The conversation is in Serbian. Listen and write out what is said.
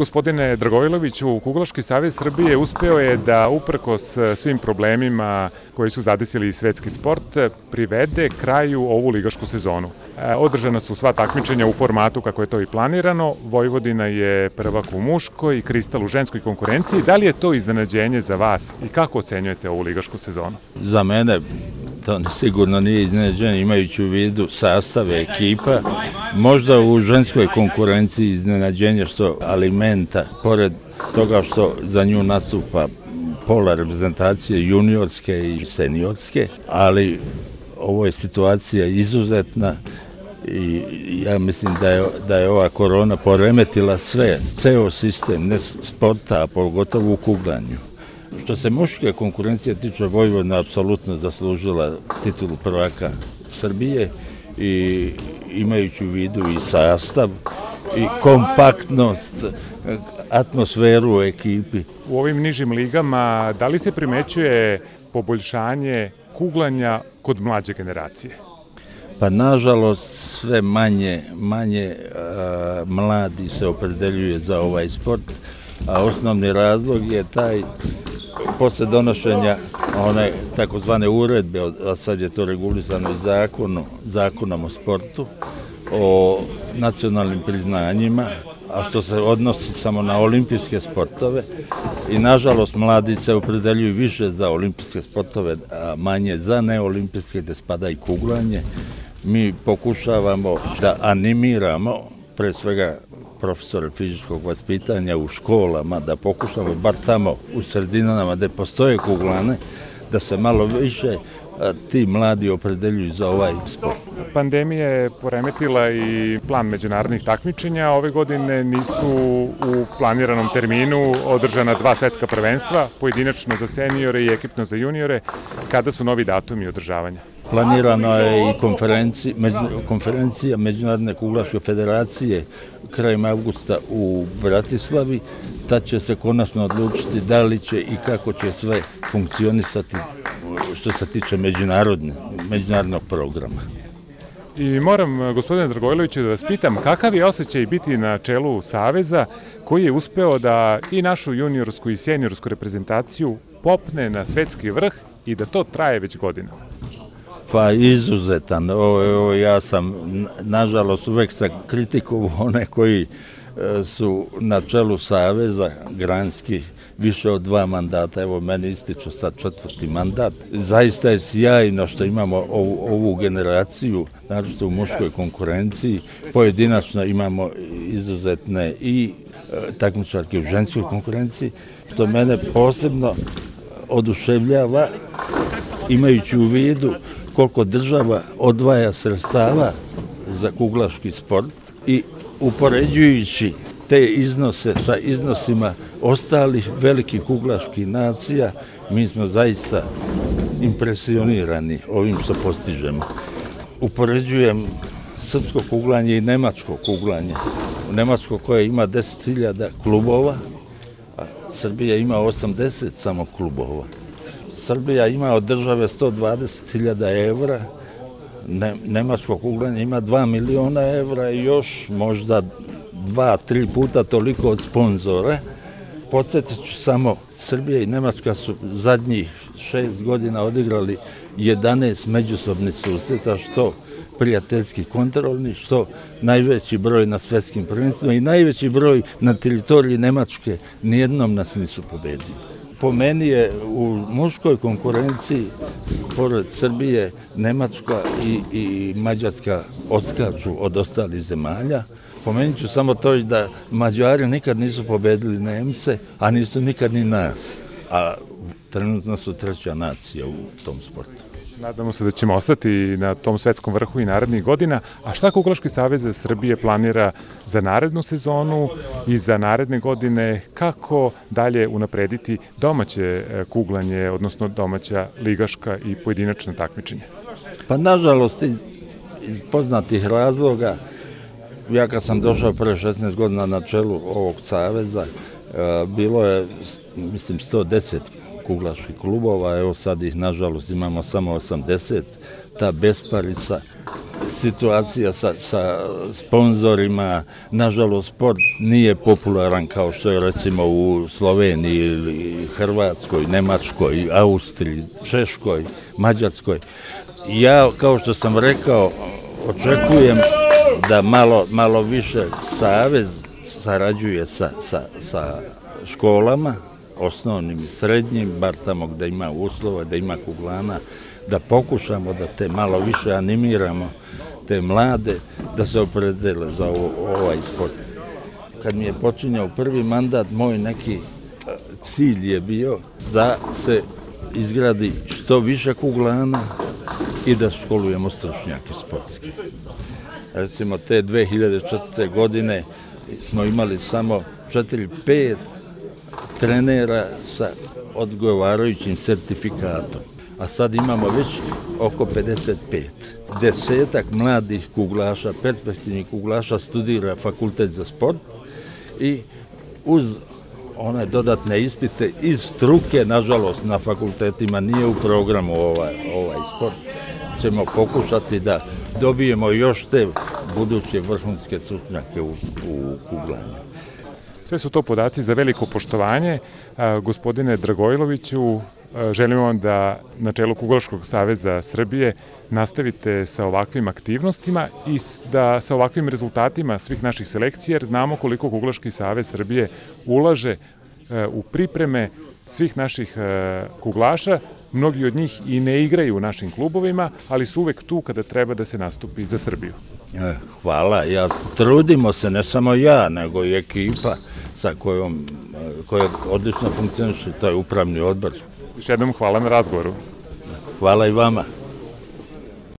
Gospodine Dragojloviću, Kuglaški savez Srbije uspeo je da uprkos svim problemima koji su zadesili svetski sport privede kraju ovu ligašku sezonu. Održana su sva takmičenja u formatu kako je to i planirano. Vojvodina je prvak u muškoj i Kristal u ženskoj konkurenciji. Da li je to iznenađenje za vas i kako ocenjujete ovu ligašku sezonu? Za mene to sigurno nije iznenađenje, imajući u vidu sastave ekipa. Možda u ženskoj konkurenciji iznenađenje što Alimenta, pored toga što za nju nastupa pola reprezentacije juniorske i seniorske, ali ovo je situacija izuzetna i ja mislim da je ova korona poremetila ceo sistem, ne sporta, a pogotovo u kuglanju. Što se muške konkurencije tiče, Vojvodina apsolutno zaslužila titulu prvaka Srbije i imajući u vidu i sastav i kompaktnost, atmosferu u ekipi. U ovim nižim ligama da li se primećuje poboljšanje kuglanja kod mlađe generacije? Pa nažalost sve manje mladi se opredeljuje za ovaj sport, a osnovni razlog je taj posle donošenja one takozvane uredbe, a sad je to regulisano i zakonom o sportu, o nacionalnim priznanjima, a što se odnosi samo na olimpijske sportove i nažalost mladi se opredeljuju više za olimpijske sportove, a manje za neolimpijske gde spada i kuglanje. Mi pokušavamo da animiramo pre svega profesore fizičkog vaspitanja u školama, da pokušamo bar tamo u sredinama gde postoje kuglane, da se malo više ti mladi opredeljuju za ovaj sport. Pandemija je poremetila i plan međunarodnih takmičenja. Ove godine nisu u planiranom terminu održana 2 svetska prvenstva, pojedinačno za seniore i ekipno za juniore. Kada su novi datumi održavanja? Planirano je i konferencija Međunarodne kuglaške federacije krajem avgusta u Bratislavi. Tad će se konačno odlučiti da li će i kako će sve funkcionisati što se tiče međunarodnog programa. I moram, gospodine Dragojloviću, da vas pitam kakav je osjećaj biti na čelu Saveza koji je uspeo da i našu juniorsku i seniorsku reprezentaciju popne na svetski vrh i da to traje već godinama? Pa izuzetan. Ja sam, nažalost, uvek sam kritikovao one koji su na čelu Saveza granskih više od 2 mandata. Evo, meni ističe sad 4. mandat. Zaista je sjajno što imamo ovu generaciju, naročito u muškoj konkurenciji. Pojedinačno imamo izuzetne i takmičarke u ženskoj konkurenciji, što mene posebno oduševljava, imajući u vidu koliko država odvaja sredstava za kuglaški sport i upoređujući te iznose sa iznosima ostalih velikih kuglaških nacija, mi smo zaista impresionirani ovim što postižemo. Upoređujem srpsko kuglanje i nemačko kuglanje. Nemačko koje ima 10.000 klubova, a Srbija ima 80 samo klubova. Srbija ima od države 120.000 evra, nemačko kuglanje ima 2 miliona evra i još možda 2-3 puta toliko od sponzora. Podsjetit ću samo, Srbija i Nemačka su zadnjih 6 godina odigrali 11 međusobnih susreta, što prijateljski kontrolni, što najveći broj na svetskim prvenstvima i najveći broj na teritoriji Nemačke, nijednom nas nisu pobedili. Po meni je u muškoj konkurenciji, pored Srbije, Nemačka i Mađarska odskaču od ostalih zemalja. Pomenut ću samo to da Mađari nikad nisu pobedili Nemce, a nisu nikad ni nas. A trenutno su 3. nacija u tom sportu. Nadamo se da ćemo ostati na tom svetskom vrhu i narednih godina. A šta Kuglaški savez Srbije planira za narednu sezonu i za naredne godine? Kako dalje unaprediti domaće kuglanje, odnosno domaća ligaška i pojedinačna takmičenja? Pa nažalost, iz poznatih razloga, ja kad sam došao pre 16 godina na čelu ovog saveza, bilo je, mislim, 110 kuglaških klubova, evo sad ih nažalost imamo samo 80, ta besparica, situacija sa sponzorima. Nažalost, sport nije popularan kao što je recimo u Sloveniji ili Hrvatskoj, Nemačkoj, Austriji, Češkoj, Mađarskoj. Ja, kao što sam rekao, očekujem da malo više savez sarađuje sa školama, osnovnim i srednjim, bar tamo gde ima uslova, da ima kuglana, da pokušamo da te malo više animiramo, te mlade, da se opredele za ovaj sport. Kad mi je počinjao prvi mandat, moj neki cilj je bio da se izgradi što više kuglana i da školujemo stručnjake sportske. Recimo, te 2004. godine smo imali samo 4-5 trenera sa odgovarajućim sertifikatom, a sad imamo već oko 55. 10 mladih kuglaša, perspektivnih kuglaša studira fakultet za sport i uz one dodatne ispite iz struke, nažalost na fakultetima nije u programu ovaj sport, ćemo pokušati da dobijemo još te buduće vrhunske stručnjake u kuglanju. Sve su to podaci za veliko poštovanje. Gospodine Dragojloviću, želim vam da na čelu Kuglaškog saveza Srbije nastavite sa ovakvim aktivnostima i da sa ovakvim rezultatima svih naših selekcija, jer znamo koliko Kuglaški savez Srbije ulaže u pripreme svih naših kuglaša. Mnogi od njih i ne igraju u našim klubovima, ali su uvek tu kada treba da se nastupi za Srbiju. Hvala. Trudimo se, ne samo ja, nego i ekipa sa koja odlično funkcioniše, to je upravni odbor. Još jednom hvala na razgovoru. Hvala i vama.